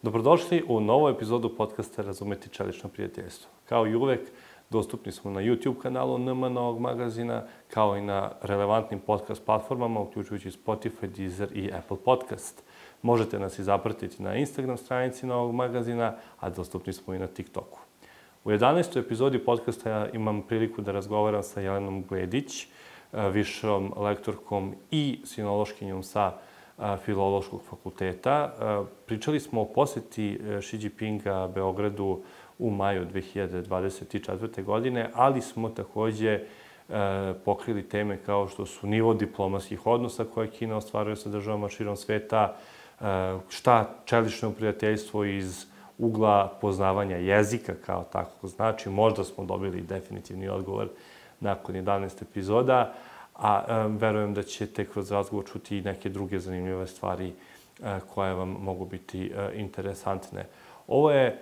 Dobrodošli u novu epizodu podcasta Razumeti čelično prijateljstvo. Kao i uvek, dostupni smo na YouTube kanalu NM Novog magazina, kao i na relevantnim podcast platformama, uključujući Spotify, Deezer i Apple Podcast. Možete nas i zapratiti na Instagram stranici Novog magazina, a dostupni smo i na TikToku. U 11. epizodi podcasta imam priliku da razgovaram sa Jelenom Gledić, višom lektorkom i sinološkinjom sa Filološkog fakulteta. Pričali smo o poseti Xi Jinpinga Beogradu u maju 2024. godine, ali smo takođe pokrili teme kao što su nivo diplomatskih odnosa koje Kina ostvaruje sa državama širom sveta, šta čelično prijateljstvo iz ugla poznavanja jezika kao tako znači. Možda smo dobili definitivni odgovor nakon 11 epizoda, a verujem da ćete kroz razgovor čuti i neke druge zanimljive stvari koje vam mogu biti interesantne. Ovo je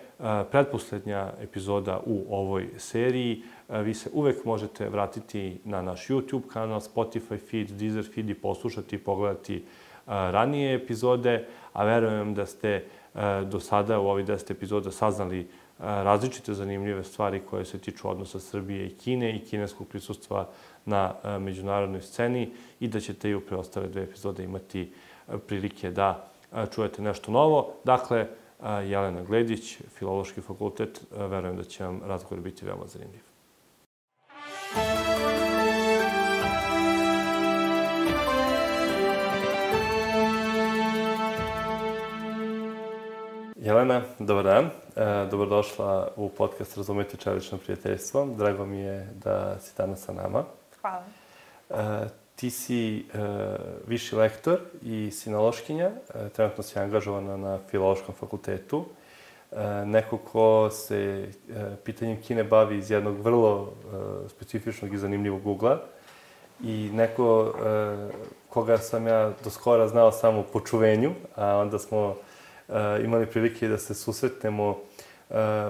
pretposlednja epizoda u ovoj seriji. Vi se uvek možete vratiti na naš YouTube kanal, Spotify feed, Deezer feed i poslušati i pogledati ranije epizode, a verujem da ste do sada u ovih 10 epizoda saznali različite zanimljive stvari koje se tiču odnosa Srbije i Kine i kineskog prisustva na međunarodnoj sceni i da ćete i u preostale 2 epizode imati prilike da čujete nešto novo. Dakle, Jelena Gledić, Filološki fakultet, verujem da će vam razgovor biti veoma zanimljiv. Jelena, dobar dan. Dobrodošla u podcast Razumeti čelično prijateljstvo. Drago mi je da si danas sa nama. Hvala. Ti si viši lektor i sinološkinja. Trenutno si angažovana na Filološkom fakultetu. Neko ko se pitanjem Kine bavi iz jednog vrlo specifičnog i zanimljivog ugla. I neko koga sam ja do skora znao samo po čuvenju, a onda smo imali prilike da se susretnemo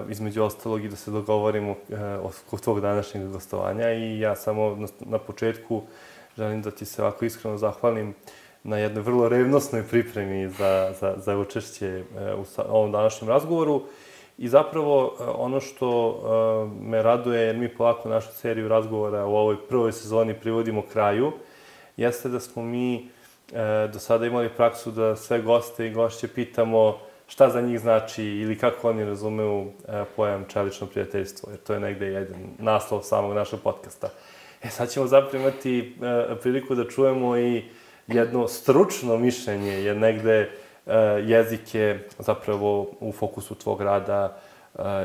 između ostalog i da se dogovorimo oko tvog današnjeg gostovanja. I ja samo na početku želim da ti se ovako iskreno zahvalim na jednoj vrlo revnosnoj pripremi za učešće u ovom današnjem razgovoru. I zapravo ono što me raduje, jer mi polako našu seriju razgovora u ovoj prvoj sezoni privodimo kraju, jeste da smo mi do sada imali praksu da sve goste i gošće pitamo šta za njih znači ili kako oni razumeju pojam čelično prijateljstvo, jer to je negde jedan naslov samog našeg podcasta. Sad ćemo zapravo imati priliku da čujemo i jedno stručno mišljenje, jer negde jezik je zapravo u fokusu tvog rada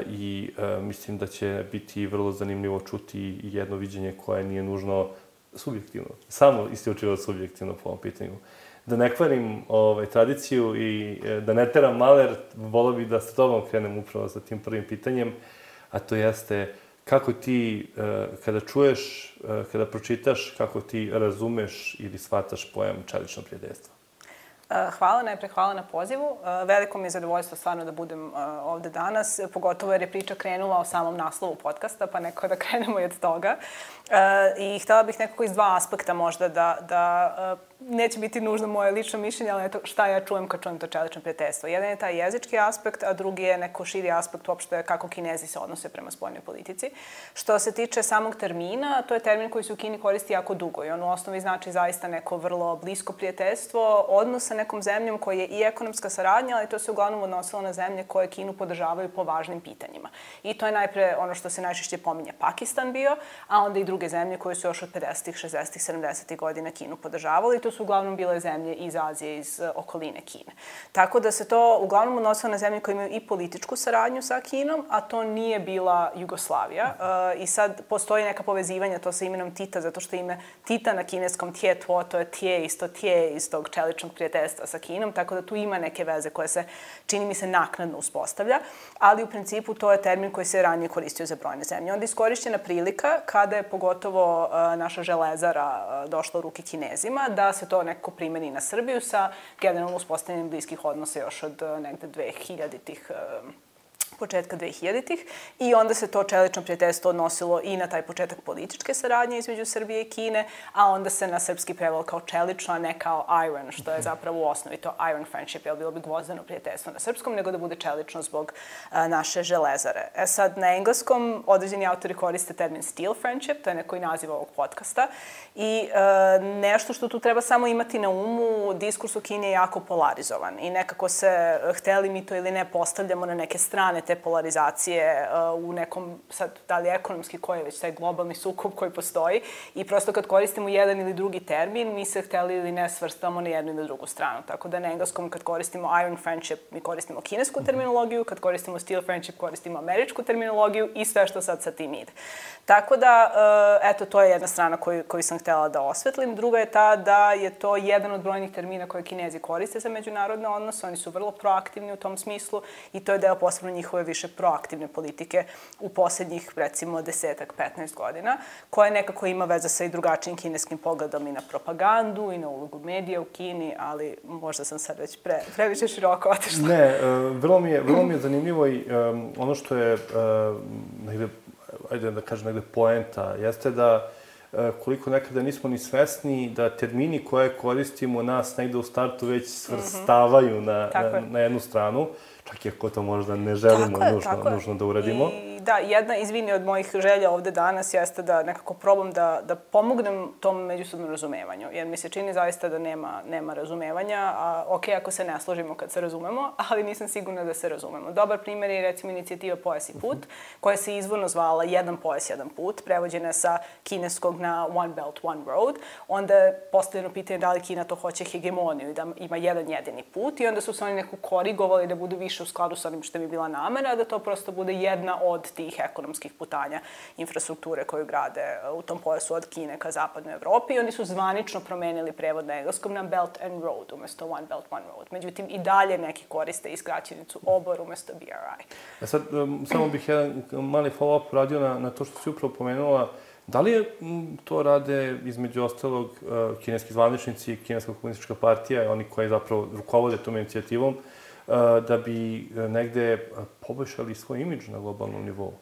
i mislim da će biti vrlo zanimljivo čuti jedno viđenje koje nije nužno subjektivno, samo isključivo subjektivno po ovom pitanju. Da ne kvarim tradiciju i da ne teram maler, volio bih da sa tobom krenem upravo sa tim prvim pitanjem, a to jeste kako ti, kada čuješ, kada pročitaš, kako ti razumeš ili shvataš pojam čelično prijateljstvo? Hvala, najpre hvala na pozivu. Veliko mi je zadovoljstvo stvarno da budem ovde danas, pogotovo jer je priča krenula o samom naslovu podcasta, pa nekako da krenemo i od toga. I htela bih nekako iz 2 aspekta možda da neće biti nužno moje lično mišljenje, ali eto šta ja čujem kad čujem to čelično prijateljstvo. Jedan je taj jezički aspekt, a drugi je neko širi aspekt uopšte kako Kinezi se odnose prema spoljnoj politici. Što se tiče samog termina, to je termin koji se u Kini koristi jako dugo i on u osnovi znači zaista neko vrlo blisko prijateljstvo, odnos sa nekom zemljom koji je i ekonomska saradnja, ali to se uglavnom odnosilo na zemlje koje Kinu podržavaju po važnim pitanjima. I to je najpre ono što se najčešće pominje Pakistan bio, a onda i druge zemlje koje su još od 50-ih, 60-ih, 70-ih godina Kinu podržavali i to su uglavnom bile zemlje iz Azije, iz okoline Kine. Tako da se to uglavnom odnosilo na zemlje koje imaju i političku saradnju sa Kinom, a to nije bila Jugoslavija. I sad postoji neka povezivanja to sa imenom Tita, zato što ime Tita na kineskom Tje Tuo, to je Tje iz tog čeličnog prijateljstva sa Kinom, tako da tu ima neke veze koje se, čini mi se, naknadno uspostavlja, ali u principu to je termin koji se ranije koristio za brojne zemlje. Onda je iskorišćena prilika, kada je pogotovo naša železara došla u ruke Kinezima, da se to nekako primeni na Srbiju sa generalno uspostavljanjem bliskih odnosa još od negde 2000-ih početka 2000-ih i onda se to čelično prijateljstvo odnosilo i na taj početak političke saradnje između Srbije i Kine, a onda se na srpski prevelo kao čelično, a ne kao iron, što je zapravo u osnovi to iron friendship, jer bilo bi gvozdeno prijateljstvo na srpskom, nego da bude čelično zbog naše železare. Sad, na engleskom određeni autori koriste termin steel friendship, to je neko i naziv ovog podcasta, i nešto što tu treba samo imati na umu, diskurs u Kini je jako polarizovan i nekako se, hteli mi to ili ne, postavljamo na neke strane te polarizacije u nekom, sad, da li ekonomski, koji je već taj globalni sukob koji postoji i prosto kad koristimo jedan ili drugi termin, mi se hteli ili ne svrstamo na jednu ili drugu stranu. Tako da na engleskom kad koristimo iron friendship, mi koristimo kinesku terminologiju, kad koristimo steel friendship, koristimo američku terminologiju i sve što sad sa tim ide. Tako da, eto, to je jedna strana koju sam htela da osvetlim. Druga je ta da je to jedan od brojnih termina koje Kinezi koriste za međunarodne odnose. Oni su vrlo proaktivni u tom smislu i to je deo posebno njihove više proaktivne politike u poslednjih, recimo, 10-15 godina, koja nekako ima veze sa i drugačijim kineskim pogledom i na propagandu i na ulogu medija u Kini, ali možda sam sad već previše široko otišla. Ne, vrlo mi je zanimljivo i ono što je negde, ajde da kažem, negde poenta, jeste da koliko nekada nismo ni svesni da termini koje koristimo nas negde u startu već svrstavaju na jednu stranu, čak i ako to možda ne želimo nužno da uradimo. I da, jedna, izvini, od mojih želja ovde danas jeste da nekako probam da pomognem tom međusobnom razumevanju, jer mi se čini zaista da nema razumevanja, a okej, ako se ne složimo kad se razumemo, ali nisam sigurna da se razumemo. Dobar primjer je, recimo, inicijativa Pojas i put, koja se izvorno zvala Jedan pojas, jedan put, prevođena sa kineskog na One Belt, One Road. Onda je postavljeno pitanje da li Kina to hoće hegemoniju i da ima jedan jedini put i onda su se oni neko korigovali da budu više u skladu sa onim što bi bila namera, da to prosto bude jedna od tih ekonomskih putanja infrastrukture koju grade u tom pojasu od Kine ka zapadnoj Evropi i oni su zvanično promenili prevod na engleskom na Belt and Road umesto One Belt, One Road. Međutim, i dalje neki koriste skraćenicu OBOR umesto BRI. Sad, samo bih jedan mali follow-up radio na to što si upravo pomenula. Da li to rade, između ostalog, kineski zvaničnici, Kineska komunistička partija i oni koji zapravo rukovode tom inicijativom, da bi negde poboljšali svoj imidž na globalnom nivou?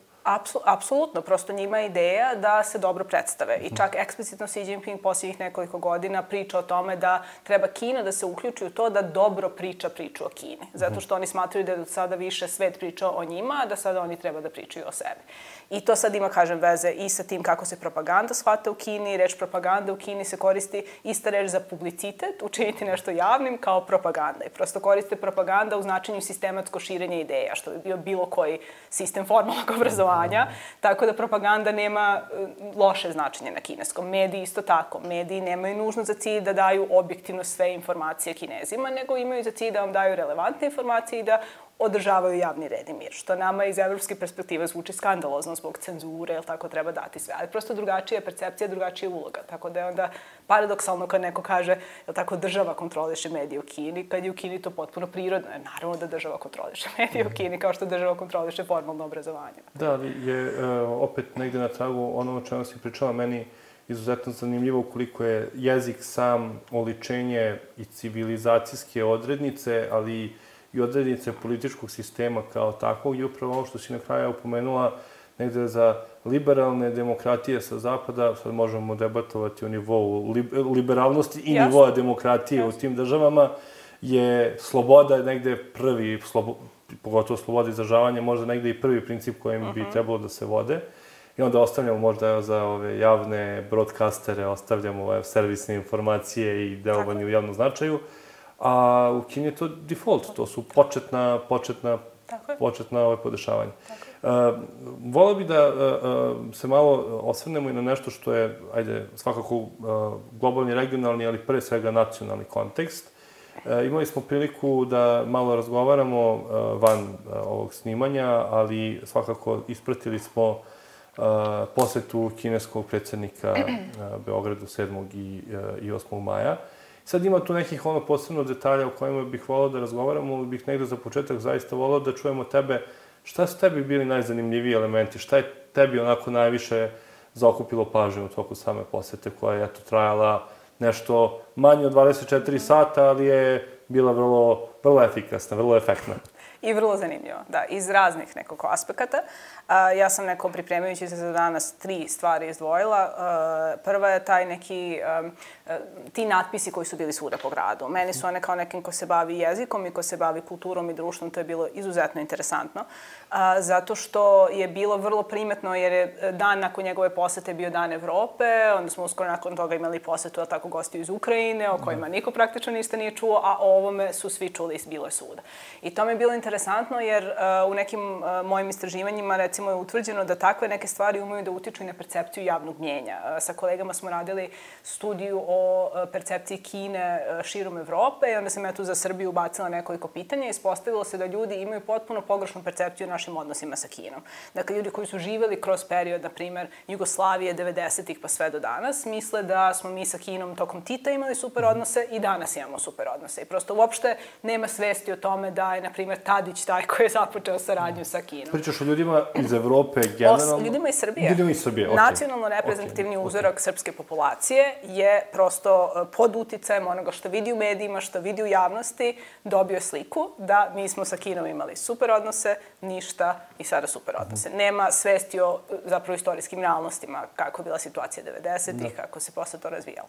Apsolutno, prosto njima je ideja da se dobro predstave. I čak eksplicitno Xi Jinping posljednjih nekoliko godina priča o tome da treba Kina da se uključi u to da dobro priča priču o Kini. Zato što oni smatraju da je do sada više svet pričao o njima, a da sada oni treba da pričaju o sebi. I to sad ima, kažem, veze i sa tim kako se propaganda shvata u Kini. Reč propaganda u Kini se koristi ista reč za publicitet, učiniti nešto javnim kao propaganda. I prosto koriste propaganda u značenju sistematsko širenje ideja, što bi bio bilo koji sistem formalnog obrazovanja. Tako da propaganda nema loše značenje na kineskom. Mediji isto tako. Mediji nemaju nužno za cilj da daju objektivno sve informacije Kinezima, nego imaju za cilj da vam daju relevantne informacije i da održavaju javni red i mir, što nama iz evropske perspektive zvuči skandalozno zbog cenzure, jer tako treba dati sve. Ali prosto drugačija percepcija, drugačija uloga. Tako da je onda paradoksalno kad neko kaže, jel tako, država kontroliše medije u Kini, kad je u Kini to potpuno prirodno. Naravno da država kontroliše medije u Kini, kao što država kontroliše formalno obrazovanje. Da, ali je opet negde na tragu ono o čemu si pričala, meni izuzetno zanimljivo koliko je jezik sam oličenje i civilizacijske odrednice, ali i odrednice političkog sistema kao takvog i upravo ovo što si na kraju upomenula, negde za liberalne demokratije sa zapada, sad možemo debatovati o nivou liberalnosti i nivoa demokratije u tim državama, je sloboda negde prvi, pogotovo sloboda izražavanja, možda negde i prvi princip kojim bi trebalo da se vode. I onda ostavljamo možda za ove javne broadcastere, ostavljamo servisne informacije i delovanje u javnom značaju. A u Kini je to default, to su početna podešavanja. Voleo bih da se malo osvrnemo i na nešto što je, ajde, svakako globalni, regionalni, ali pre svega nacionalni kontekst. Imali smo priliku da malo razgovaramo van ovog snimanja, ali svakako ispratili smo posetu kineskog predsjednika Beogradu 7. i 8. maja. Sad ima tu nekih posebno detalja o kojima bih volao da razgovaramo, ali bih negde za početak zaista volao da čujemo tebe. Šta su tebi bili najzanimljiviji elementi? Šta je tebi onako najviše zaokupilo pažnju u toku same posete koja je trajala nešto manje od 24 sata, ali je bila vrlo efikasna, vrlo efektna? i vrlo zanimljivo, da, iz raznih nekako aspekata. Ja sam neko pripremajući se za danas 3 stvari izdvojila. Prva je taj neki, ti natpisi koji su bili svuda po gradu. Meni su one kao nekim ko se bavi jezikom i ko se bavi kulturom i društvom, to je bilo izuzetno interesantno. Zato što je bilo vrlo primetno, jer je dan nakon njegove posete bio Dan Evrope, onda smo uskoro nakon toga imali posetu, ali tako, gostiju iz Ukrajine, o kojima niko praktično ništa nije čuo, a o ovome su svi čuli i bilo je svuda. I to mi je bilo interesantno, jer u nekim mojim istraživanjima, recimo, je utvrđeno da takve neke stvari umeju da utiču i na percepciju javnog mnjenja. Sa kolegama smo radili studiju o percepciji Kine širom Evrope i onda sam ja tu za Srbiju ubacila nekoliko pitanja i ispostavilo se da ljudi imaju potpuno pogrešnu percepciju o našim odnosima sa Kinom. Dakle, ljudi koji su živeli kroz period, na primer, Jugoslavije, 90-ih pa sve do danas, misle da smo mi sa Kinom tokom Tita imali super odnose i danas imamo super odnose. I prosto uopšte nema svesti o tome da je, na primer, Tadić taj koji je započeo saradnju sa Kinom. Pričaš o ljudima iz Evrope generalno? Ljudima iz Srbije. Ljudima iz Srbije, okej. Nacionalno reprezentativni uzorak srpske populacije je prosto pod uticajem onoga što vidi u medijima, što vidi u javnosti, dobio sliku da mi smo sa Kinom imali super odnose, ništa i sada super odnose. Nema svesti o zapravo istorijskim realnostima, kako je bila situacija 90-ih, kako se posle to razvijalo.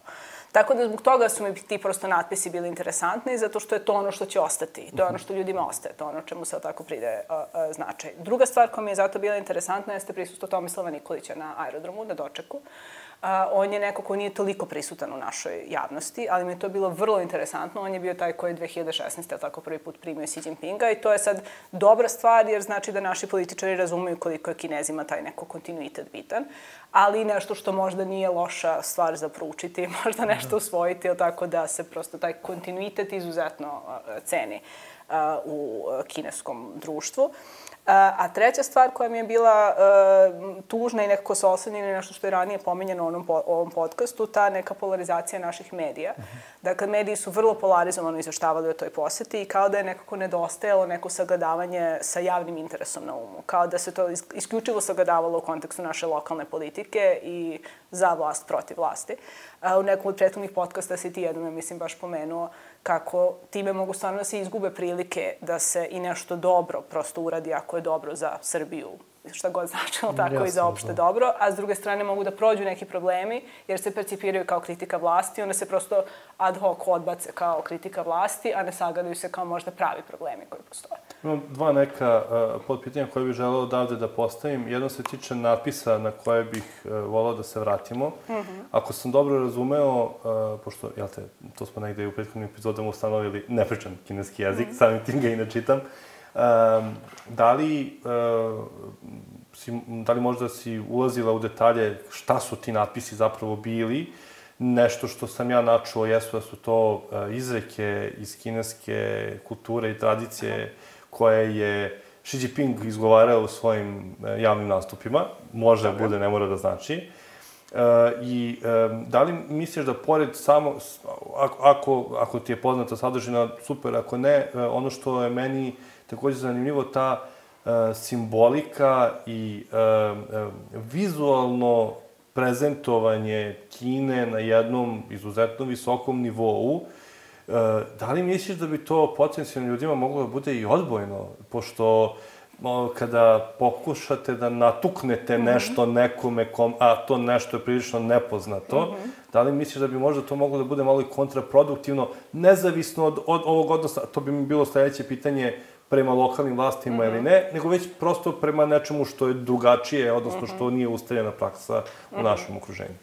Tako da zbog toga su mi ti prosto natpisi bili interesantni, zato što je to ono što će ostati. To je ono što ljudima ostaje, to je ono čemu se tako pridaje značaj. Druga stvar koja mi je zato bila interesantna jeste prisustvo Tomislava Nikolića na aerodromu, na dočeku. On je neko ko nije toliko prisutan u našoj javnosti, ali mi je to bilo vrlo interesantno. On je bio taj koji je 2016. tako prvi put primio Xi Jinpinga i to je sad dobra stvar jer znači da naši političari razumeju koliko je Kinezima taj neko kontinuitet bitan, ali nešto što možda nije loša stvar za proučiti, možda nešto usvojiti, tako da se prosto taj kontinuitet izuzetno ceni u kineskom društvu. A treća stvar koja mi je bila tužna i nekako se oslanjena na nešto što je ranije pominjeno u ovom podcastu, ta neka polarizacija naših medija. Dakle, mediji su vrlo polarizovano izveštavali o toj poseti i kao da je nekako nedostajalo neko sagledavanje sa javnim interesom na umu. Kao da se to isključivo sagledavalo u kontekstu naše lokalne politike i za vlast protiv vlasti. U nekom od prethodnih podcasta si ti jednom, mislim, baš pomenuo kako time mogu stvarno da se izgube prilike da se i nešto dobro prosto uradi ako je dobro za Srbiju, šta god značilo, tako i za opšte dobro, a s druge strane mogu da prođu neki problemi jer se percipiraju kao kritika vlasti, onda se prosto ad hoc odbace kao kritika vlasti, a ne sagledaju se kao možda pravi problemi koji postoje. Imam 2 neka podpitanja koje bih želeo odavde da postavim. Jedno se tiče natpisa na koje bih volao da se vratimo. Ako sam dobro razumeo, pošto, jel te, to smo negde u prethodnim epizodama ustanovili, ne pričam kineski jezik, samim tim ga i ne čitam. Da li možda si ulazila u detalje šta su ti natpisi zapravo bili? Nešto što sam ja načuo jesu da su to izreke iz kineske kulture i tradicije koje je Xi Jinping izgovarao u svojim javnim nastupima. Može da bude, ne mora da znači. I da li misliš da pored samo, ako ti je poznata sadržina, super, ako ne, ono što je meni takođe zanimljivo, ta simbolika i vizualno prezentovanje Kine na jednom izuzetno visokom nivou, da li misliš da bi to potencijalno ljudima moglo da bude i odbojno? Pošto kada pokušate da natuknete nešto nekome, a to nešto je prilično nepoznato, da li misliš da bi možda to moglo da bude malo i kontraproduktivno, nezavisno od ovog odnosa, to bi mi bilo sledeće pitanje, prema lokalnim vlastima ili ne, nego već prosto prema nečemu što je drugačije, odnosno što nije ustaljena praksa u našem okruženju.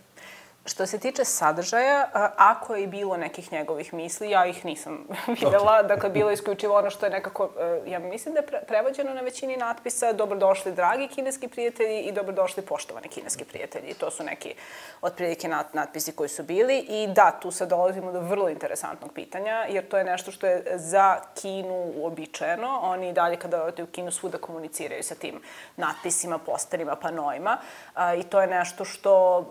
Što se tiče sadržaja, ako je i bilo nekih njegovih misli, ja ih nisam videla. Dakle, bilo je isključivo ono što je nekako, ja mislim da je prevođeno na većini natpisa, dobrodošli dragi kineski prijatelji i dobrodošli poštovani kineski prijatelji. To su neki otprilike natpisi koji su bili. I da, tu sad dolazimo do vrlo interesantnog pitanja, jer to je nešto što je za Kinu uobičajeno. Oni dalje kada odete u Kinu svuda komuniciraju sa tim natpisima, posterima, panoima. I to je nešto što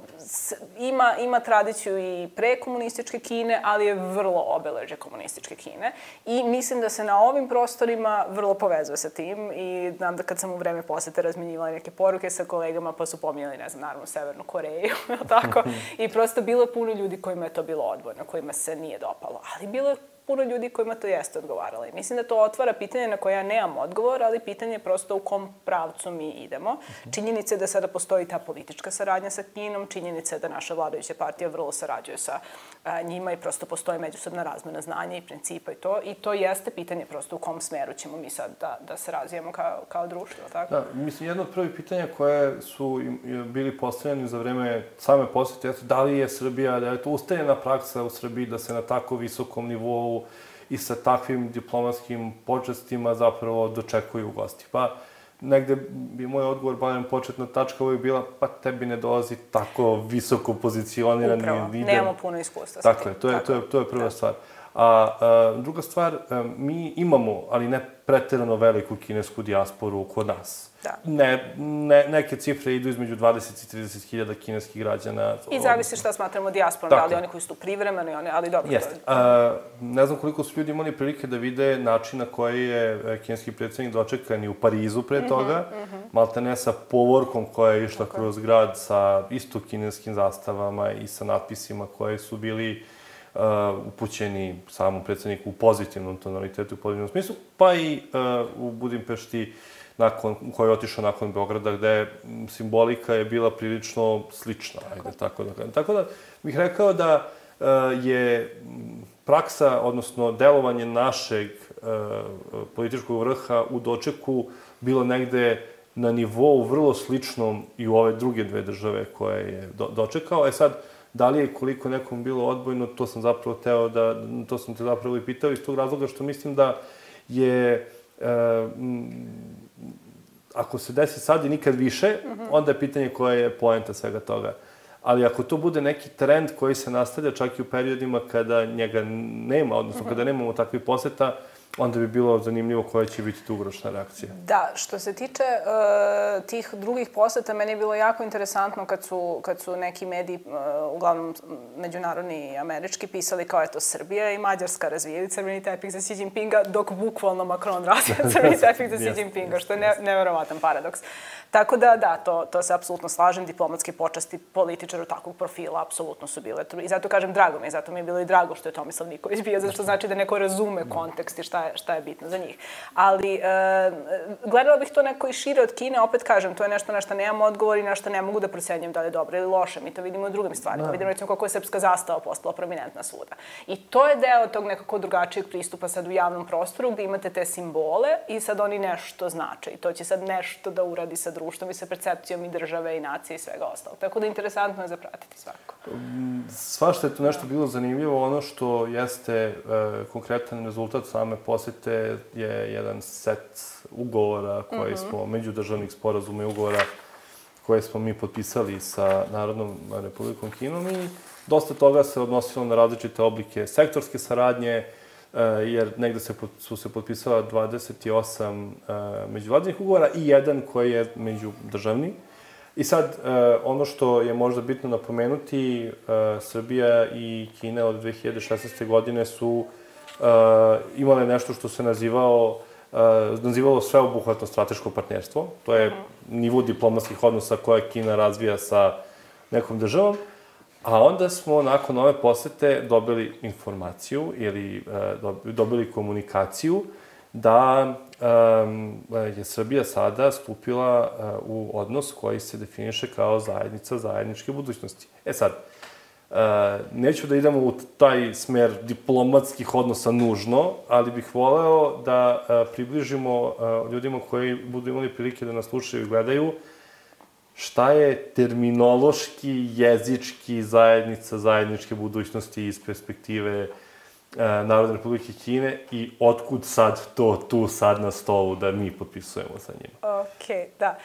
ima tradiciju i pre komunističke Kine, ali je vrlo obeležje komunističke Kine. I mislim da se na ovim prostorima vrlo povezuje sa tim i znam da kad sam u vreme posete razmenjivala neke poruke sa kolegama, pa su pominjali, ne znam, naravno Severnu Koreju, tako? I prosto bilo je puno ljudi kojima je to bilo odbojno, kojima se nije dopalo. Ali bilo je puno ljudi kojima to jeste odgovaralo. I mislim da to otvara pitanje na koje ja nemam odgovor, ali pitanje je prosto u kom pravcu mi idemo. Činjenica je da sada postoji ta politička saradnja sa Kinom, činjenica je da naša vladajuća partija vrlo sarađuje sa njima i prosto postoji međusobna razmena znanja i principa i to. I to jeste pitanje prosto u kom smeru ćemo mi sad da se razvijemo kao društvo, tako? Da, mislim, jedno od prvih pitanja koje su bili postavljeni za vreme same posete jeste da li je Srbija, da je to ustaljena praksa u Srbiji da se na tako visokom nivou i sa takvim diplomatskim počestima zapravo dočekuju gosti. Pa, negde bi moj odgovor, barem početna tačka uvijek bila, pa tebi ne dolazi tako visoko pozicionirani lider. Upravo, nemamo puno iskustva sa tim. Dakle, to je prva stvar. A druga stvar, mi imamo, ali ne preterano veliku kinesku dijasporu kod nas. Da. Neke cifre idu između 20 i 30 hiljada kineskih građana. I zavisi šta smatramo dijasporom, da li oni koji su tu privremeno, ali dobro. Jeste. Ne znam koliko su ljudi imali prilike da vide način na koji je kineski predsjednik dočekan i u Parizu pre toga, maltene sa povorkom koja je išla kroz grad sa isto kineskim zastavama i sa natpisima koje su bili upućeni samom predsjedniku u pozitivnom tonalitetu, u pozitivnom smislu, pa i u Budimpešti, koji je otišao nakon Beograda, gde simbolika je bila prilično slična, ajde tako da kažem. Tako da bih rekao da je praksa, odnosno delovanje našeg političkog vrha u dočeku bilo negde na nivou vrlo sličnom i u ove druge dve države koje je dočekao. Sad, da li je koliko nekom bilo odbojno, to sam te zapravo i pitao iz tog razloga što mislim da je, ako se desi sad i nikad više, onda je pitanje koja je poenta svega toga. Ali ako to bude neki trend koji se nastavlja čak i u periodima kada njega nema, odnosno kada nemamo takvih poseta, onda bi bilo zanimljivo koja će biti dugoročna reakcija. Da, što se tiče tih drugih poseta, meni je bilo jako interesantno kad su neki mediji, uglavnom međunarodni i američki, pisali kao eto Srbija i Mađarska razvijaju crveni tepih za Xi Jinpinga, dok bukvalno Macron razvija crveni tepih za Xi Jinpinga, što je neverovatan paradoks. Tako da, to se apsolutno slažem, diplomatske počasti političara takvog profila apsolutno su bile. I zato kažem drago mi je, zato mi je bilo i drago što je Tomislav Nikolić bio, zato što znači da neko razume kontekst i šta je bitno za njih. Ali gledala bih to neko i šire od Kine, opet kažem, to je nešto na što nemam odgovor i na što ne mogu da procenjujem da li je dobro ili loše. Mi to vidimo u drugim stvarima. Vidimo recimo kako je srpska zastava postala prominentna svuda. I to je deo tog nekako drugačijeg pristupa sad u javnom prostoru gde imate te simbole i sad oni nešto znače. I to će sad nešto da uradi sa društvom i sa percepcijom i države i nacije i svega ostalog. Tako da interesantno je zapratiti svako. Svašta je tu nešto bilo zanimljivo. Ono što jeste konkretan rezultat same posete je jedan set ugovora koji smo, međudržavnih sporazuma i ugovora koje smo mi potpisali sa Narodnom Republikom Kinom i dosta toga se odnosilo na različite oblike sektorske saradnje, jer negde su se potpisala 28 međuvladinih ugovora i jedan koji je međudržavni. I sad, ono što je možda bitno napomenuti, Srbija i Kina od 2016. godine su imale nešto što se nazivalo sveobuhvatno strateško partnerstvo. To je nivo diplomatskih odnosa koje Kina razvija sa nekom državom. A onda smo nakon ove posete dobili informaciju ili dobili komunikaciju da je Srbija sada stupila u odnos koji se definiše kao zajednica zajedničke budućnosti. Sad, neću da idemo u taj smer diplomatskih odnosa nužno, ali bih voleo da približimo ljudima koji budu imali prilike da nas slušaju i gledaju šta je terminološki, jezički zajednica zajedničke budućnosti iz perspektive Narodne Republike Kine i otkud sad to tu sad na stolu da mi potpisujemo sa njima. Okej, da.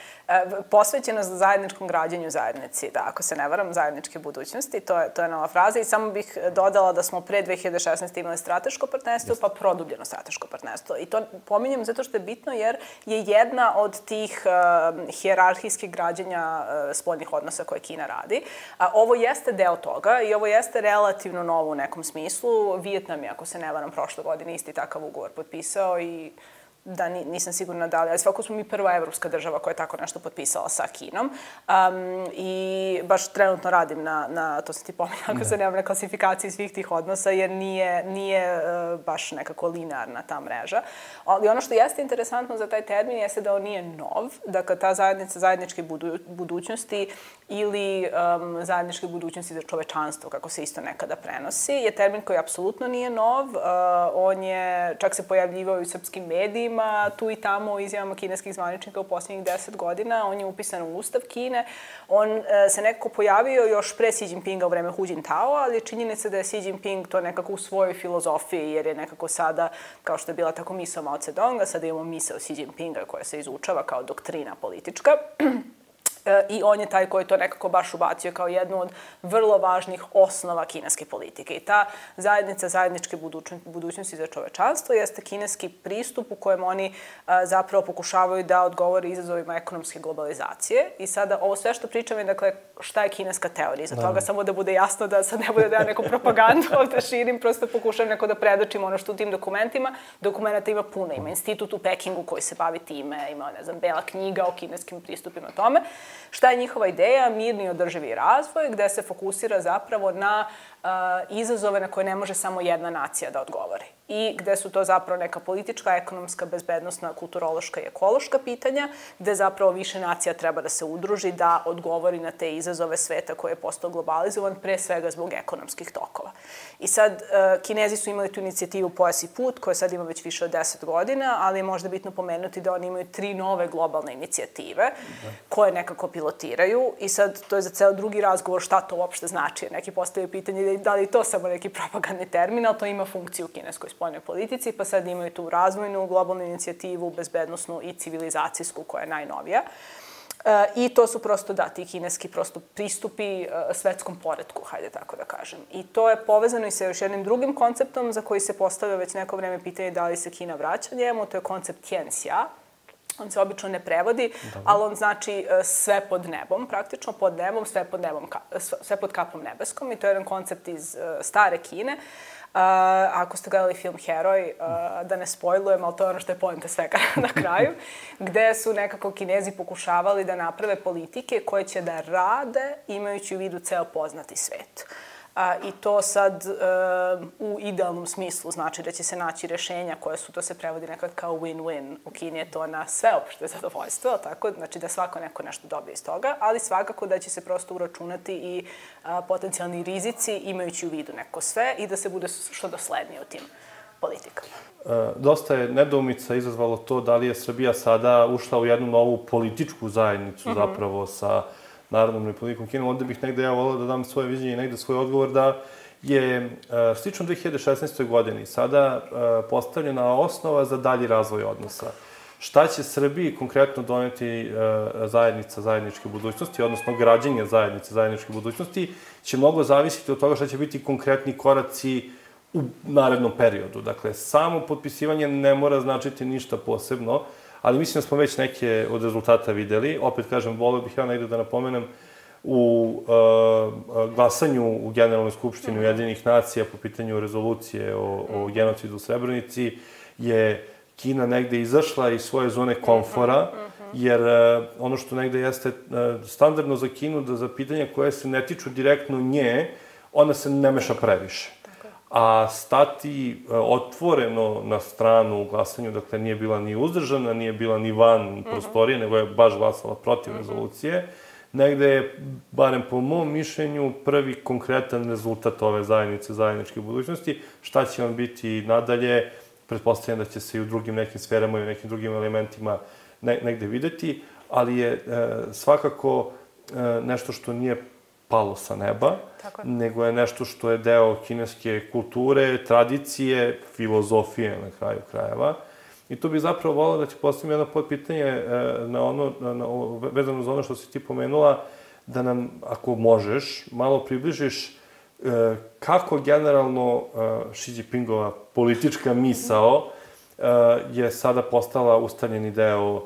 Posvećenost zajedničkom građenju zajednici, da, ako se ne varam, zajedničke budućnosti, to je nova fraza i samo bih dodala da smo pre 2016. imali strateško partnerstvo, pa produbljeno strateško partnerstvo. I to pominjem zato što je bitno jer je jedna od tih hijerarhijskih građenja spoljnih odnosa koje Kina radi. Ovo jeste deo toga i ovo jeste relativno novo u nekom smislu. Vijetnam je, ako se ne varam, prošle godine isti takav ugovor potpisao i da nisam sigurna da li, ali svako smo mi prva evropska država koja je tako nešto potpisala sa Kinom. I baš trenutno radim to sam ti pominjala, ako se nemam na klasifikaciji svih tih odnosa, jer nije baš nekako linearna ta mreža. Ali ono što jeste interesantno za taj termin jeste da on nije nov, dakle ta zajednica zajedničke budućnosti ili zajedničke budućnosti za čovečanstvo, kako se isto nekada prenosi, je termin koji apsolutno nije nov. On je, čak se pojavljivao i u srpskim medijima, tu i tamo u izjavama kineskih zvaničnika u posljednjih 10 godina. On je upisan u Ustav Kine. On se nekako pojavio još pre Xi Jinpinga u vreme Hu Jintao, ali je činjenica da je Xi Jinping to nekako u svojoj filozofiji, jer je nekako sada, kao što je bila tako misao Mao Zedonga, sada imamo misao Xi Jinpinga koja se izučava kao doktrina politička. I on je taj koji to nekako baš ubacio kao jednu od vrlo važnih osnova kineske politike. I ta zajednica zajedničke budućnosti za čovečanstvo jeste kineski pristup u kojem oni zapravo pokušavaju da odgovore izazovima ekonomske globalizacije. I sada ovo sve što pričam je, dakle, šta je kineska teorija. Za toga samo da bude jasno da sad ne bude da ja neku propagandu ovde širim, prosto pokušam neko da predočim ono što u tim dokumentima. Dokumenta ima puno. Ima institut u Pekingu koji se bavi time, ima, ne znam, bela knjiga o kineskim pristupima tome. Šta je njihova ideja? Mirni i održivi razvoj, gde se fokusira zapravo na izazove na koje ne može samo jedna nacija da odgovori. I gde su to zapravo neka politička, ekonomska, bezbednosna, kulturološka i ekološka pitanja, gde zapravo više nacija treba da se udruži, da odgovori na te izazove sveta koji je postao globalizovan, pre svega zbog ekonomskih tokova. I sad, Kinezi su imali tu inicijativu Pojas i put, koja sad ima već više od 10 godina, ali je možda bitno pomenuti da oni imaju 3 nove globalne inicijative koje nekako pilotiraju. I sad, to je za ceo drugi razgovor šta to uopšte znači. Neki postavljaju pitanje da li je to samo neki propagandni termin, ali to ima funkciju u kineskoj spoljnoj politici, pa sad imaju tu razvojnu, globalnu inicijativu, bezbednosnu i civilizacijsku, koja je najnovija. I to su prosto, ti kineski prosto pristupi svetskom poretku, hajde tako da kažem. I to je povezano i sa još jednim drugim konceptom za koji se postavlja već neko vreme pitanje da li se Kina vraća njemu, to je koncept Tianxia. On se obično ne prevodi, ali on znači sve pod nebom, praktično pod nebom, sve pod kapom nebeskom. I to je jedan koncept iz stare Kine. Ako ste gledali film Heroj, da ne spojlujem, ali to je ono što je poenta svega na kraju, gde su nekako Kinezi pokušavali da naprave politike koje će da rade imajući u vidu ceo poznati svet. I to sad u idealnom smislu znači da će se naći rešenja koje su, to se prevodi nekad kao win-win. U Kini je to na sveopšte zadovoljstvo, tako? Znači da svako neko nešto dobije iz toga, ali svakako da će se prosto uračunati i potencijalni rizici imajući u vidu neko sve i da se bude što doslednije u tim politikama. Dosta je nedoumica izazvalo to da li je Srbija sada ušla u jednu novu političku zajednicu zapravo sa Narodnom Republikom Kinom. Onda bih negde ja volao da dam svoje viđenje i negde svoj odgovor da je slično 2016. godini sada postavljena osnova za dalji razvoj odnosa. Šta će Srbiji konkretno doneti zajednica zajedničke budućnosti, odnosno građenje zajednice zajedničke budućnosti, će mnogo zavisiti od toga šta će biti konkretni koraci u narednom periodu. Dakle, samo potpisivanje ne mora značiti ništa posebno, ali mislim da smo već neke od rezultata videli. Opet kažem, volio bih ja negde da napomenem u glasanju u Generalnoj skupštini Ujedinjenih nacija po pitanju rezolucije o genocidu u Srebrenici je Kina negde izašla iz svoje zone komfora, jer ono što negde jeste standardno za Kinu, da za pitanja koje se ne tiču direktno nje, ona se ne meša previše. A stati otvoreno na stranu u glasanju, dakle nije bila ni uzdržana, nije bila ni van prostorije, nego je baš glasala protiv rezolucije, negde je, barem po mom mišljenju, prvi konkretan rezultat ove zajednice zajedničke budućnosti. Šta će on biti nadalje, pretpostavljam da će se i u drugim nekim sferama i u nekim drugim elementima negde videti, ali je svakako nešto što nije palo sa neba, nego je nešto što je deo kineske kulture, tradicije, filozofije na kraju krajeva. I tu bih zapravo volao da ti postavim jedno podpitanje vezano za ono što si ti pomenula, da nam, ako možeš, malo približiš kako generalno Xi Jinpingova politička misao je sada postala ustaljeni deo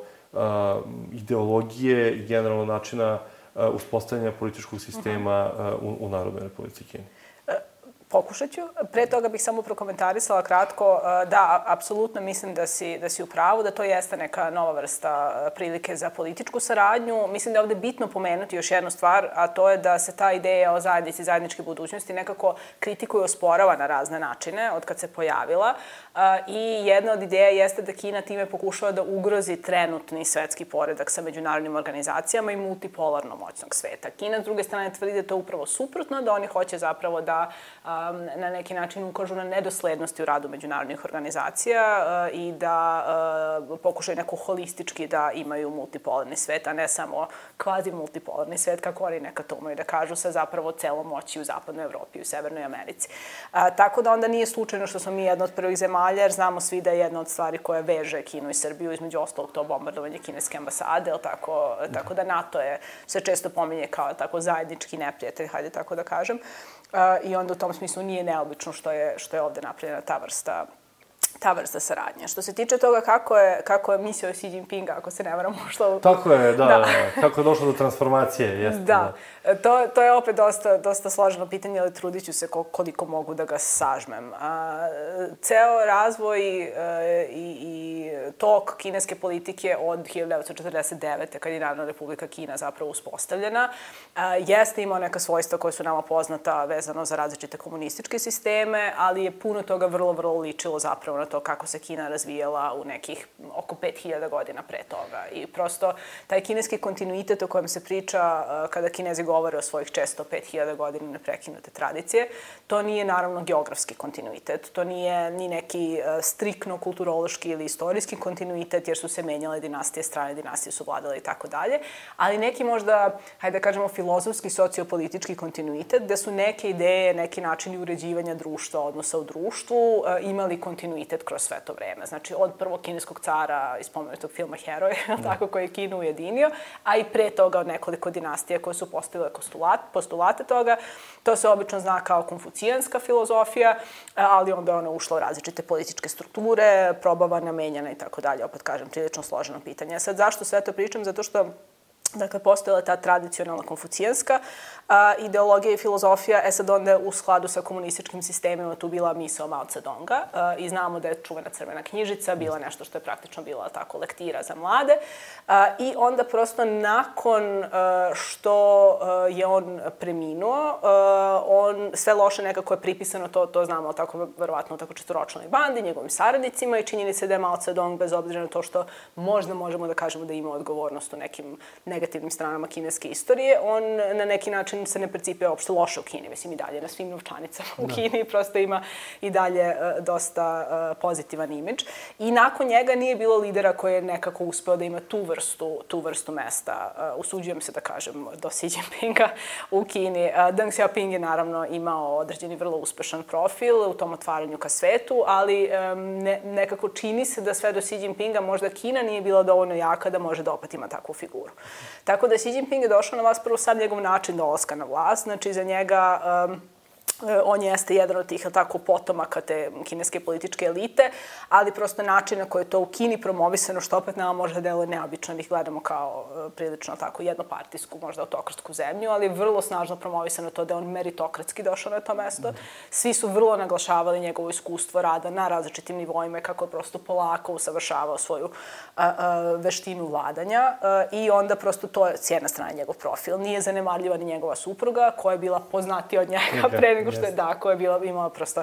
ideologije i generalno načina uspostavljanja političkog sistema u Narodnoj Republici Kini. Pokušat ću. Pre toga bih samo prokomentarisala kratko. Da, apsolutno mislim da si u pravu, da to jeste neka nova vrsta prilike za političku saradnju. Mislim da je ovde bitno pomenuti još jednu stvar, a to je da se ta ideja o zajednici, zajedničke budućnosti nekako kritikuje i osporava na razne načine od kad se pojavila. I jedna od ideja jeste da Kina time pokušava da ugrozi trenutni svetski poredak sa međunarodnim organizacijama i multipolarno moćnog sveta. Kina, s druge strane, tvrdi da je to upravo suprotno, da oni hoće zapravo da na neki način ukažu na nedoslednosti u radu međunarodnih organizacija i da pokušaju neko holistički da imaju multipolarni svet, a ne samo kvazi multipolarni svet, kako oni nekad to umeju da kažu, sa zapravo celom moći u Zapadnoj Evropi i u Severnoj Americi. Tako da onda nije slučajno što smo mi jedna od prvih zemalja, jer znamo svi da je jedna od stvari koja veže Kinu i Srbiju, između ostalog to bombardovanje kineske ambasade, tako da NATO se često pominje kao tako zajednički neprijatelj, hajde tako da kažem. I onda u tom smislu nije neobično što je ovde napravljena ta vrsta saradnje. Što se tiče toga kako je mislio Xi Jinping, ako se ne varam, ušla... Tako je, da. Kako je došlo do transformacije, jeste. Da. To je opet dosta složeno pitanje, ali trudit ću se koliko mogu da ga sažmem. Ceo razvoj i tok kineske politike od 1949. kad je Narodna Republika Kina zapravo uspostavljena, jeste imao neka svojstva koja su nama poznata vezano za različite komunističke sisteme, ali je puno toga vrlo, vrlo ličilo zapravo na to kako se Kina razvijela u nekih oko 5000 godina pre toga. I prosto taj kineski kontinuitet o kojem se priča kada Kinezi govore o svojih često 5000 godina neprekinute tradicije, to nije naravno geografski kontinuitet, to nije ni neki striktno kulturološki ili istorijski kontinuitet, jer su se menjale dinastije, strane dinastije su vladale i tako dalje, ali neki možda, hajde da kažemo, filozofski, sociopolitički kontinuitet, gde su neke ideje, neki načini uređivanja društva, odnosa u društvu, imali kontinuitet kroz sve to vreme. Znači, od prvog kineskog cara iz spomenutog filma Heroj, tako, koji je Kinu ujedinio, a i pre toga od nekoliko dinastija koje su postavile postulate toga. To se obično zna kao konfucijanska filozofija, ali onda je ona ušla u različite političke strukture, probavana, menjana i tako dalje. Opet kažem, prilično složeno pitanje. Sad, zašto sve to pričam? Zato što postojala ta tradicionalna konfucijanska ideologija i filozofija, sad onda u skladu sa komunističkim sistemima tu bila misao Mao Tse-Donga i znamo da je čuvena crvena knjižica bila nešto što je praktično bila tako lektira za mlade i onda prosto nakon što je on preminuo, sve loše nekako je pripisano, to znamo tako verovatno tako četvoročlanoj bandi, njegovim saradnicima i činjeni se da je Mao Tse-Dong, bez obzira na to što možda možemo da kažemo da ima odgovornost u nekim negativnim stranama kineske istorije, on na neki način se ne percipira uopšte loše u Kini. Mislim, i dalje na svim novčanicama u Kini prosto ima i dalje dosta pozitivan imidž. I nakon njega nije bilo lidera koji je nekako uspeo da ima tu vrstu mesta. Usuđujem se da kažem do Xi Jinpinga u Kini. Deng Xiaoping je naravno imao određeni vrlo uspešan profil u tom otvaranju ka svetu, ali nekako čini se da sve do Xi Jinpinga možda Kina nije bila dovoljno jaka da može da opet ima takvu figuru. Tako da Xi Jinping je došao na vlast prvo sad njegov način dolaska na vlast, znači za njega on jeste jedan od tih tako potomaka te kineske političke elite, ali prosto način na koji je to u Kini promovisano, što opet nama možda deluje neobično, ih gledamo kao prilično tako jednopartijsku, možda autokratsku zemlju, ali je vrlo snažno promovisano to da je on meritokratski došao na to mesto. Svi su vrlo naglašavali njegovo iskustvo rada na različitim nivoima, kako je prosto polako usavršavao svoju veštinu vladanja i onda prosto to je s jedne strane njegov profil. Nije zanemarljiva ni njegova supruga, koja je bila poznatija od njega pre nego što je koja je imala prosto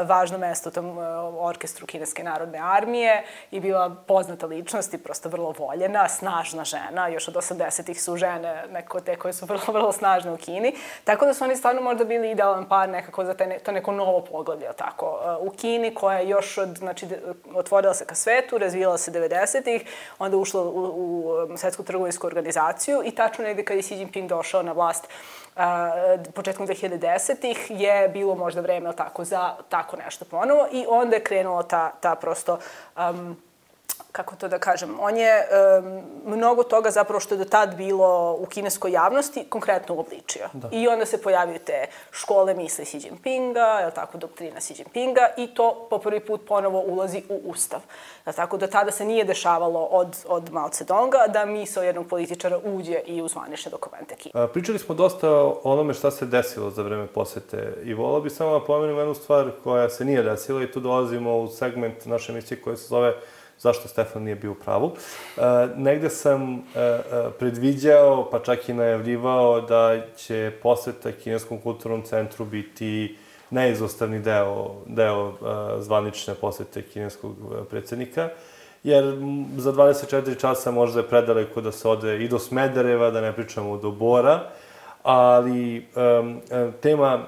važno mesto u tom orkestru Kineske narodne armije i bila poznata ličnost i prosto vrlo voljena, snažna žena. Još od 80-ih su žene neko te koje su vrlo, vrlo snažne u Kini. Tako da su oni stvarno možda bili idealan par nekako za to neko novo poglavlje, tako, u Kini, koja je još otvorila se ka svetu, razvijala se 90-ih, onda ušla u Svetsku trgovinsku organizaciju i tačno negde kad je Xi Jinping došao na vlast početkom 2010-ih je bilo možda vreme za tako nešto ponovo i onda je krenula ta prosto kako to da kažem, on je mnogo toga zapravo što je do tad bilo u kineskoj javnosti konkretno uobličio. I onda se pojavio te škole misli Xi Jinpinga, je li tako, doktrina Xi Jinpinga i to po prvi put ponovo ulazi u ustav. Je li tako, do tada se nije dešavalo od Mao Zedonga da misao jednog političara uđe i u zvanične dokumente Kine. Pričali smo dosta o onome šta se desilo za vreme posete i volao bi samo da pomenem jednu stvar koja se nije desila i tu dolazimo u segment naše emisije koja se zove Zašto Stefan nije bio u pravu. Negde sam predviđao, pa čak i najavljivao da će poseta Kineskom kulturnom centru biti neizostavni deo zvanične posete kineskog predsjednika, jer za 24 časa možda je predaleko da se ode i do Smedereva, da ne pričamo do Bora, ali tema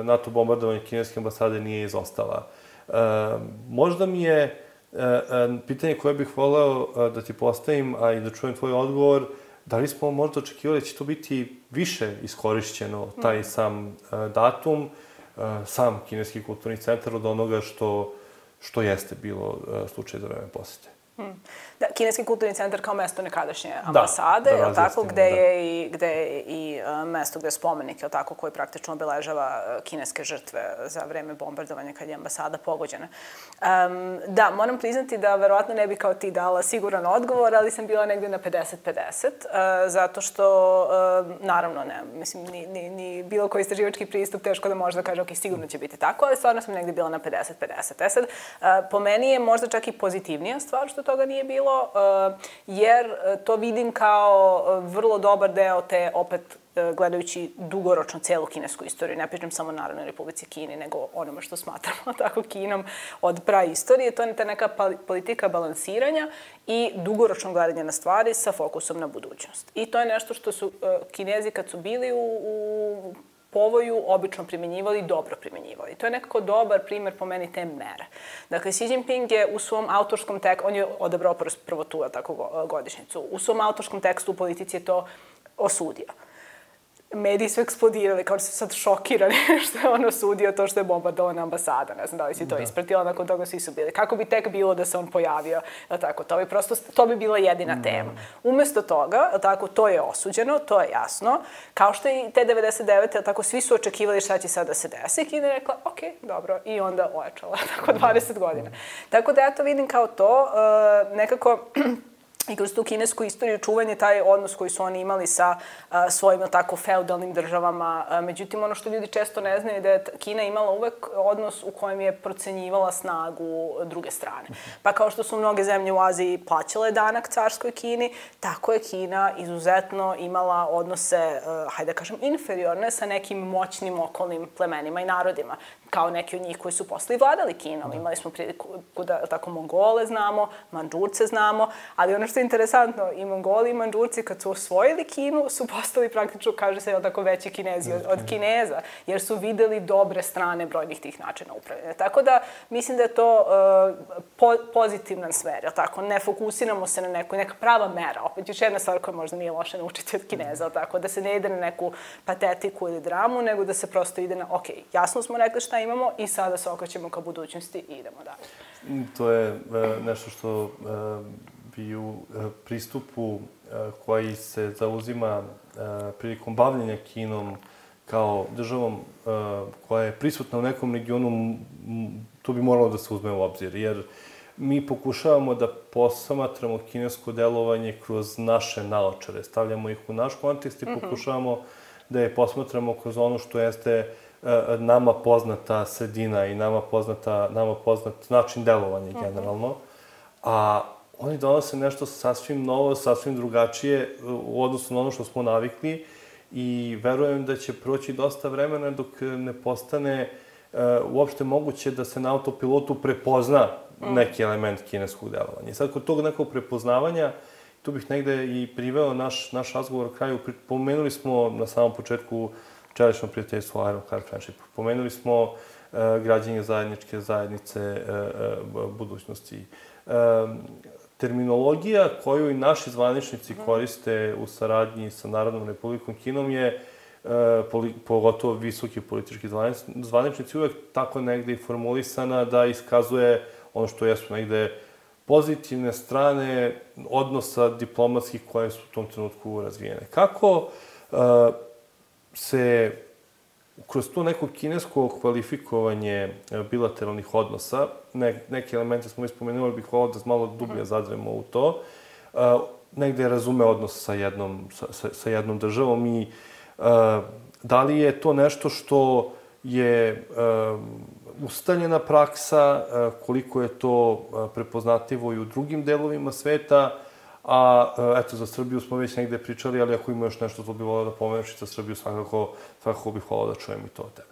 NATO bombardovanja kineske ambasade nije izostala. Možda mi je pitanje koje bih voleo da ti postavim, a i da čujem tvoj odgovor, da li smo možda očekivali da će to biti više iskorišćeno, taj sam datum, sam Kineski kulturni centar od onoga što jeste bilo slučaj za vreme posete? Da, Kineski kulturni centar kao mesto nekadašnje ambasade, je li tako, gde je i mesto gde je spomenik, je li tako, koji praktično obeležava kineske žrtve za vreme bombardovanja kad je ambasada pogođena. Da, moram priznati da verovatno ne bi kao ti dala siguran odgovor, ali sam bila negde na 50-50, zato što, naravno, ne, mislim, ni bilo koji istraživački pristup teško da može da kaže, ok, sigurno će biti tako, ali stvarno sam negde bila na 50-50. Sad, po meni je možda čak i pozitivnija stvar što toga nije bilo, jer to vidim kao vrlo dobar deo te, opet, gledajući dugoročno celu kinesku istoriju. Ne pričam samo Narodnoj Republici Kini, nego onome što smatramo tako Kinom od praistorije. To je ta neka politika balansiranja i dugoročno gledanje na stvari sa fokusom na budućnost. I to je nešto što su Kinezi kad su bili u povoju obično primjenjivali i dobro primjenjivali. To je nekako dobar primer po meni te mere. Dakle, Xi Jinping je u svom autorskom tekstu, on je odabrao prvo tu godišnjicu, u svom autorskom tekstu u politici je to osudio. Mediji su eksplodirali, kao da su sad šokirani što je on osudio to što je bombardovana ambasada. Ne znam da li si to ispratila, nakon toga svi su bili. Kako bi tek bilo da se on pojavio? Tako, to bi bila jedina tema. Umesto toga, tako, to je osuđeno, to je jasno. Kao što i te 99. tako, svi su očekivali šta će sad da se desi. Kina je rekla, ok, dobro, i onda ojačala, tako, 20 godina. Tako da ja to vidim kao to, nekako i kroz tu kinesku istoriju čuvan je taj odnos koji su oni imali sa svojim tako feudalnim državama. Međutim, ono što ljudi često ne znaju je da je Kina imala uvek odnos u kojem je procenjivala snagu druge strane. Pa kao što su mnoge zemlje u Aziji plaćale danak carskoj Kini, tako je Kina izuzetno imala odnose, hajde da kažem, inferiorne sa nekim moćnim okolnim plemenima i narodima, kao neki od njih koji su posle i vladali Kinom. Imali smo priliku da tako Mongole znamo, Mandžurce znamo, ali ono što je interesantno, i Mongoli i Mandžurci kad su osvojili Kinu su postali praktično, kaže se, tako veći Kinezi od Kineza, jer su videli dobre strane brojnih tih načina upravljanja. Tako da mislim da je to pozitivan smer, tako, ne fokusiramo se na neka prava mera. Opet još jedna stvar koja možda nije loša naučiti od Kineza, tako, da se ne ide na neku patetiku ili dramu, nego da se prosto ide na, ok, jasno smo rekli šta imamo i sada se okrećemo ka budućnosti i idemo dalje. To je nešto što bi u pristupu koji se zauzima prilikom bavljenja Kinom kao državom koja je prisutna u nekom regionu, to bi moralo da se uzme u obzir, jer mi pokušavamo da posmatramo kinesko delovanje kroz naše naočare, stavljamo ih u naš kontekst i pokušavamo da je posmatramo kroz ono što jeste nama poznata sredina i nama poznat način delovanja generalno, a oni donose nešto sasvim novo, sasvim drugačije u odnosu na ono što smo navikli i verujem da će proći dosta vremena dok ne postane uopšte moguće da se na autopilotu prepozna neki element kineskog delovanja. I sad, kod tog nekog prepoznavanja, tu bih negde i priveo naš razgovor u kraju. Pomenuli smo na samom početku čelično prijateljstvo Iron Car Friendship. Pomenuli smo građenje zajedničke zajednice budućnosti. Terminologija koju i naši zvaničnici koriste u saradnji sa Narodnom Republikom Kinom je, pogotovo visoki politički zvaničnici, uvek tako negde i formulisana da iskazuje ono što jesu negde pozitivne strane odnosa diplomatskih koje su u tom trenutku razvijene. Kako se kroz to neko kinesko kvalifikovanje bilateralnih odnosa, neke elemente smo ispomenuli, bih volao da malo dublje zadremo u to, negde razume odnos sa jednom državom i da li je to nešto što je ustaljena praksa, koliko je to prepoznatljivo i u drugim delovima sveta, a eto, za Srbiju smo već negde pričali, ali ako ima još nešto to bih volao da pomeneš i za Srbiju svakako bih volao da čujem i to od tebe.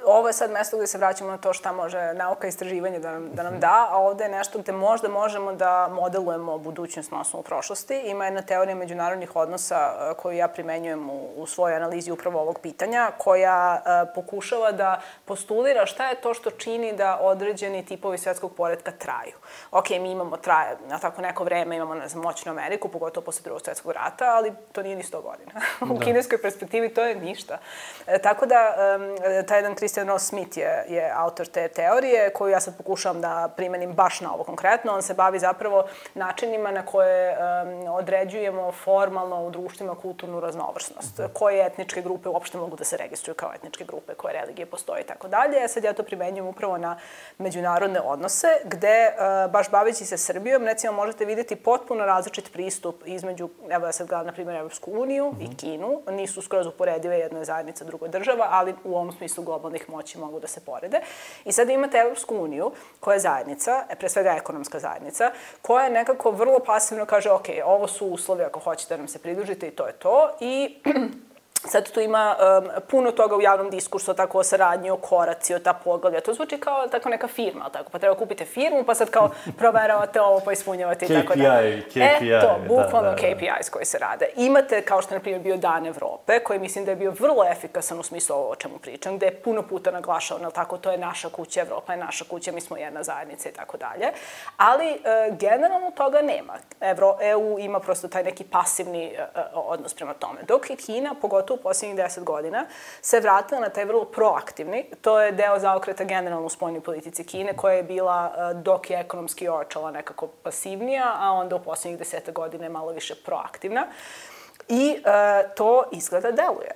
Ovo je sad mesto gde se vraćamo na to šta može nauka i istraživanje da nam da, a ovde je nešto gde možda možemo da modelujemo budućnost na osnovu prošlosti. Ima jedna teorija međunarodnih odnosa koju ja primenjujem u svojoj analizi upravo ovog pitanja, koja pokušava da postulira šta je to što čini da određeni tipovi svetskog poretka traju. Ok, mi traje na tako neko vreme, imamo, ne znam, moćnu Ameriku, pogotovo posle Drugog svetskog rata, ali to nije ni 100 godina. U kineskoj perspektivi to je ništa. Tako da, taj jedan Christian Ross Smith je autor te teorije, koju ja sad pokušavam da primenim baš na ovo konkretno. On se bavi zapravo načinima na koje određujemo formalno u društvima kulturnu raznovrsnost. Koje etničke grupe uopšte mogu da se registruju kao etničke grupe, koje religije postoje i tako dalje. Sad ja to primenjujem upravo na međunarodne odnose, gde, baš baveći se Srbijom, recimo možete vidjeti potpuno različit pristup između, evo ja sad gledam, na primjer, Evropsku uniju i Kinu. Nisu skroz uporedive, jedna je zajednica, druga država, ali u ovom smislu globalnih moći mogu da se porede. I sad imate Evropsku uniju, koja je zajednica, pre svega ekonomska zajednica, koja nekako vrlo pasivno kaže, ok, ovo su uslovi ako hoćete da nam se pridružite i to je to. I sad tu ima puno toga u javnom diskursu, tako o saradnji, o koraciji, o ta poglavlja. To zvuči kao tako neka firma, ali tako, pa treba kupite firmu, pa sad kao proveravate ovo, pa ispunjavate i tako dalje. KPI. To, bukvalno KPIs koji se rade. Imate, kao što je, na primjer, bio Dan Evrope, koji mislim da je bio vrlo efikasan u smislu ovo o čemu pričam, gde je puno puta naglašao, ali tako, to je naša kuća, Evropa je naša kuća, mi smo jedna zajednica i tako dalje. Ali, generalno toga nema. EU ima prosto taj neki pasivni odnos prema tome. Dok je Kina, pogotovo u posljednjih 10 godina, se vratila na taj vrlo proaktivni. To je deo zaokreta generalno u spoljnoj politici Kine, koja je bila, dok je ekonomski ojačala, nekako pasivnija, a onda u posljednjih 10 godina je malo više proaktivna. I to izgleda deluje.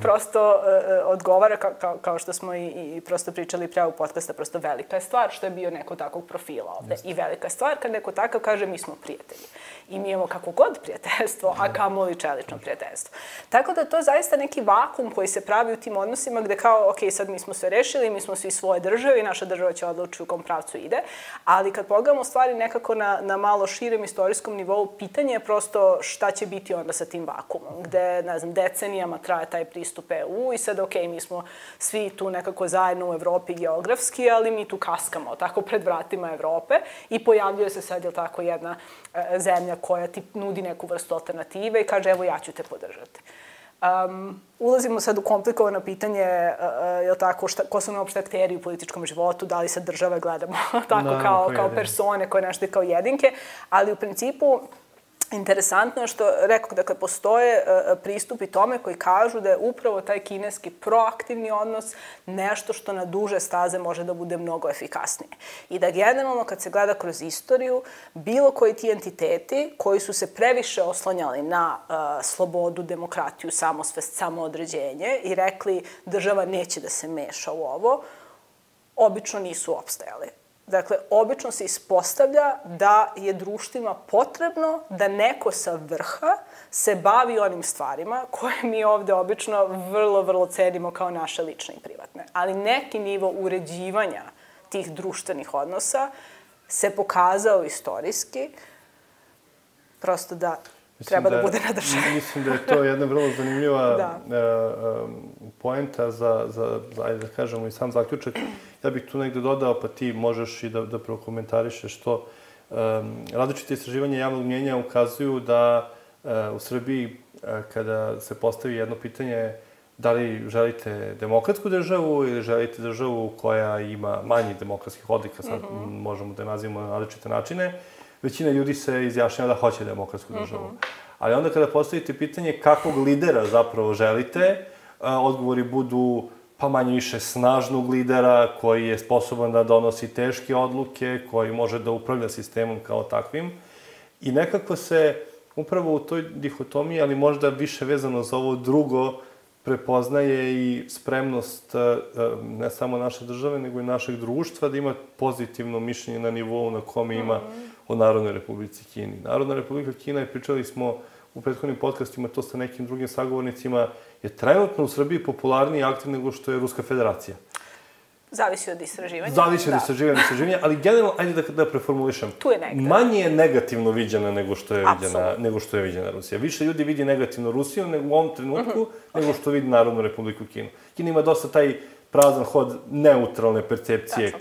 Prosto odgovara, kao što smo i prosto pričali pre ovog podcasta, prosto velika je stvar što je bio neko takvog profila ovde. I velika je stvar kad neko takav kaže mi smo prijatelji. I mi imamo kako god prijateljstvo, a kamoli čelično prijateljstvo. Tako da to je zaista neki vakum koji se pravi u tim odnosima gde kao, ok, sad mi smo sve rešili, mi smo svi svoje države i naša država će odlučiti u kom pravcu ide. Ali kad pogledamo stvari nekako na malo širem istorijskom nivou, pitanje je prosto šta će biti onda sa tim vakumom, gde, ne znam, decenijama traje taj pristup EU i sad, ok, mi smo svi tu nekako zajedno u Evropi geografski, ali mi tu kaskamo tako pred vratima Evrope i pojavljuje se sad, jel tako, jedna zemlja koja ti nudi neku vrstu alternative i kaže, evo, ja ću te podržati. Ulazimo sad u komplikovano pitanje, jel tako, ko su nam uopšte akteri u političkom životu, da li sad države gledamo tako kao persone koje nešto kao jedinke, ali u principu interesantno je što, rekao, dakle, postoje pristupi tome koji kažu da je upravo taj kineski proaktivni odnos nešto što na duže staze može da bude mnogo efikasnije. I da generalno, kad se gleda kroz istoriju, bilo koji ti entiteti koji su se previše oslanjali na slobodu, demokratiju, samosvest, samoodređenje i rekli država neće da se meša u ovo, obično nisu opstajali. Dakle, obično se ispostavlja da je društvima potrebno da neko sa vrha se bavi onim stvarima koje mi ovde obično vrlo, vrlo cenimo kao naše lične i privatne. Ali neki nivo uređivanja tih društvenih odnosa se pokazao istorijski, prosto da treba da bude na državi. Mislim da je to jedna vrlo zanimljiva poenta za, ajde da kažemo, i sam zaključak. Ja bih tu negde dodao, pa ti možeš i da prokomentarišeš to. Različite istraživanja javnog mnjenja ukazuju da u Srbiji, kada se postavi jedno pitanje da li želite demokratsku državu ili želite državu koja ima manji demokratskih odlika, sad možemo da je nazivamo na različite načine, većina ljudi se izjašnjava da hoće demokratsku državu. Ali onda kada postavite pitanje kakvog lidera zapravo želite, odgovori budu pa manje više snažnog lidera koji je sposoban da donosi teške odluke, koji može da upravlja sistemom kao takvim. I nekako se upravo u toj dihotomiji, ali možda više vezano za ovo drugo, prepoznaje i spremnost ne samo naše države, nego i našeg društva da ima pozitivno mišljenje na nivou na kome ima o Narodnoj Republici Kini. Narodna Republika Kina, pričali smo u prethodnim podcastima, to sa nekim drugim sagovornicima, je trenutno u Srbiji popularniji i aktiv nego što je Ruska federacija. Zavisi od istraživanja. Zavisi od istraživanja, ali generalno, ajde da preformulišem. Tu je negde. Manje je negativno viđena nego što je viđena Rusija. Više ljudi vidi negativno Rusiju nego u ovom trenutku, nego što vidi Narodnu Republiku Kinu. Kina ima dosta taj prazan hod neutralne percepcije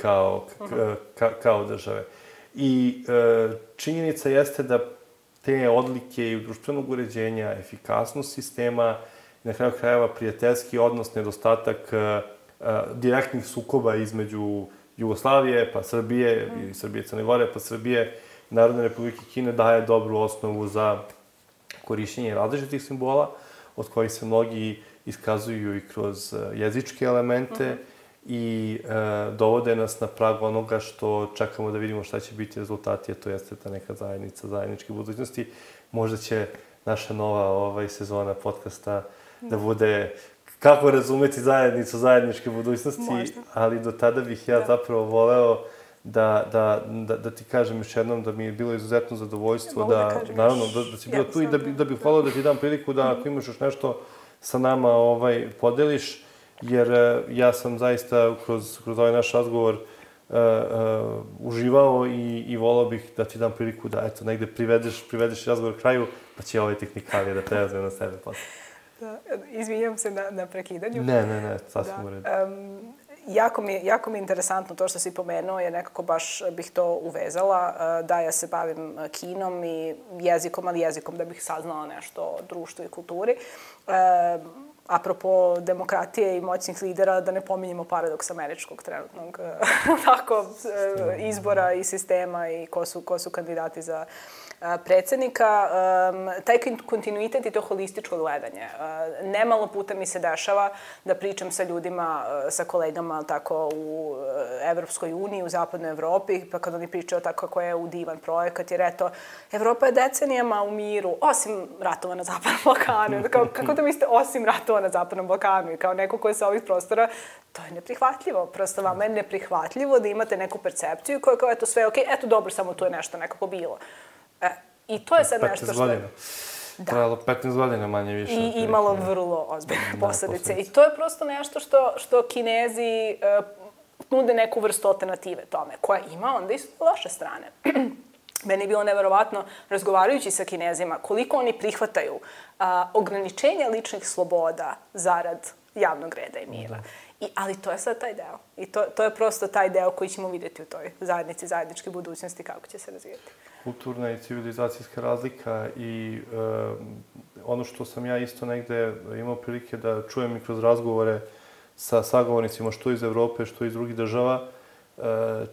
kao države. I činjenica jeste da te odlike i društvenog uređenja, efikasnost sistema, na kraju krajeva prijateljski odnos, nedostatak direktnih sukoba između Jugoslavije, pa Srbije, i Srbije Crne Gore, pa Srbije, Narodne Republike Kine daje dobru osnovu za korišćenje različitih simbola, od kojih se mnogi iskazuju i kroz jezičke elemente i dovode nas na prag onoga što čekamo da vidimo šta će biti rezultati, a to jeste ta neka zajednica, zajedničke budućnosti. Možda će naša nova sezona podcasta da bude kako razumeti zajednicu, zajedničke budućnosti, ali do tada bih ja zapravo voleo da ti kažem još jednom da mi je bilo izuzetno zadovoljstvo naravno, da si bio tu i da bih voleo da ti dam priliku da ako imaš još nešto sa nama podeliš, jer ja sam zaista kroz ovaj naš razgovor uživao i volao bih da ti dam priliku da, eto, negde privedeš razgovor kraju, pa će ove tehnikalije da preuzme na sebe posle. Izvinjam se na prekidanju. Ne, sasvim u redu. Jako mi je interesantno to što si pomenuo, jer nekako baš bih to uvezala, da ja se bavim kinom i jezikom, ali jezikom da bih saznala nešto o društvu i kulturi. Apropo demokratije i moćnih lidera, da ne pominjemo paradoks američkog trenutnog izbora i sistema i ko su kandidati za predsednika. Taj kontinuitet i to holističko gledanje. Nemalo puta mi se dešava da pričam sa ljudima, sa kolegama tako u Evropskoj uniji, u Zapadnoj Evropi, pa kad oni pričaju tako kako je divan projekat, jer eto, Evropa je decenijama u miru, osim ratova na Zapadnom Balkanu. Kako da mislite osim ratova na Zapadnom Balkanu? I kao neko ko je sa ovih prostora, to je neprihvatljivo. Prosto vama je neprihvatljivo da imate neku percepciju koja kao, eto, sve je okej, eto, dobro, samo tu je nešto nekako bilo. I to je sad nešto što... 15 godina. Trajalo 15 godina manje više. I imalo vrlo ozbiljne posledice. I to je prosto nešto što Kinezi nude neku vrstu alternative tome, koja ima onda isto loše strane. Meni je bilo neverovatno, razgovarajući sa Kinezima, koliko oni prihvataju ograničenja ličnih sloboda zarad javnog reda i mira. Ali to je sad taj deo. I to je prosto taj deo koji ćemo vidjeti u toj zajednici, zajedničke budućnosti, kako će se razvijati. Kulturna i civilizacijska razlika i ono što sam ja isto negde imao prilike da čujem i kroz razgovore sa sagovornicima što iz Evrope, što iz drugih država,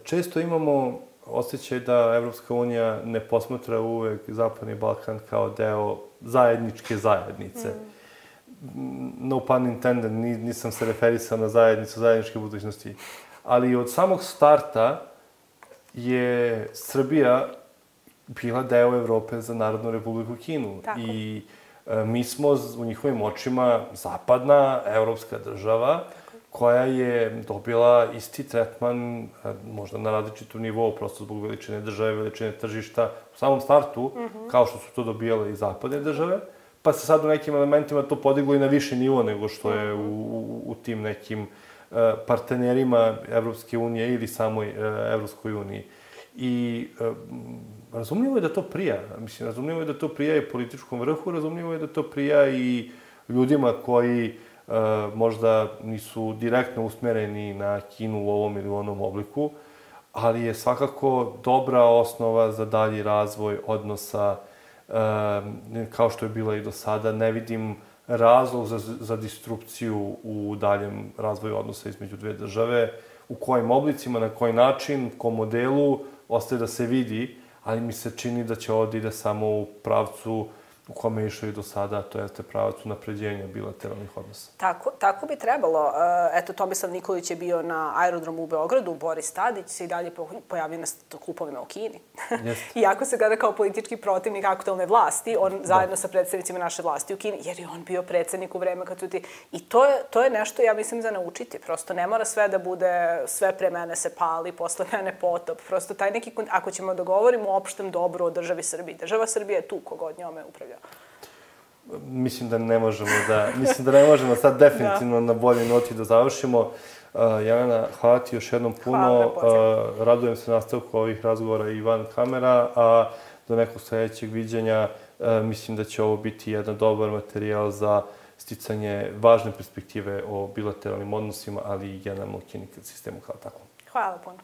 često imamo osjećaj da Evropska unija ne posmatra uvek Zapadni Balkan kao deo zajedničke zajednice. No pun intended, nisam se referisao na zajednicu, zajedničke budućnosti. Ali od samog starta je Srbija bila deo Evrope za Narodnu Republiku Kinu. Tako. I mi smo u njihovim očima zapadna evropska država koja je dobila isti tretman, možda na različitom nivou, prosto zbog veličine države, veličine tržišta, u samom startu, kao što su to dobijale i zapadne države, pa se sad u nekim elementima to podiglo i na viši nivo nego što je u tim nekim partnerima Evropske unije ili samoj Evropskoj uniji. I razumljivo je da to prija. Mislim, razumljivo je da to prija i političkom vrhu, razumljivo je da to prija i ljudima koji možda nisu direktno usmereni na Kinu u ovom ili u onom obliku, ali je svakako dobra osnova za dalji razvoj odnosa, kao što je bila i do sada. Ne vidim razlog za disrupciju u daljem razvoju odnosa između dve države, u kojim oblicima, na koji način, kom modelu, ostaje da se vidi, ali mi se čini da će ovdje ide samo u pravcu u kome je išao i do sada, to jeste pravac unapređenja bilateralnih odnosa. Tako bi trebalo. Eto, Tomislav Nikolić je bio na aerodromu u Beogradu, Boris Tadić se i dalje pojavio na klupovima u Kini. Iako se gleda kao politički protivnik aktualne vlasti, on zajedno sa predstavnicima naše vlasti u Kini, jer je on bio predsednik u vreme kad su ti... I to je nešto, ja mislim, za naučiti. Prosto ne mora sve da bude sve pre mene se pali, posle mene potop. Prosto taj neki... Ako ćemo da govorimo o opštem dobru o državi Srbiji, država Srbije je tu kogod njome upravlja. Mislim da ne možemo sad definitivno na bolje noti da završimo. Jelena, hvala ti još jednom puno. Radujem se nastavku ovih razgovora i van kamera, a do nekog sledećeg viđenja mislim da će ovo biti jedan dobar materijal za sticanje važne perspektive o bilateralnim odnosima, ali i generalno u sistemu kao takvom. Hvala puno.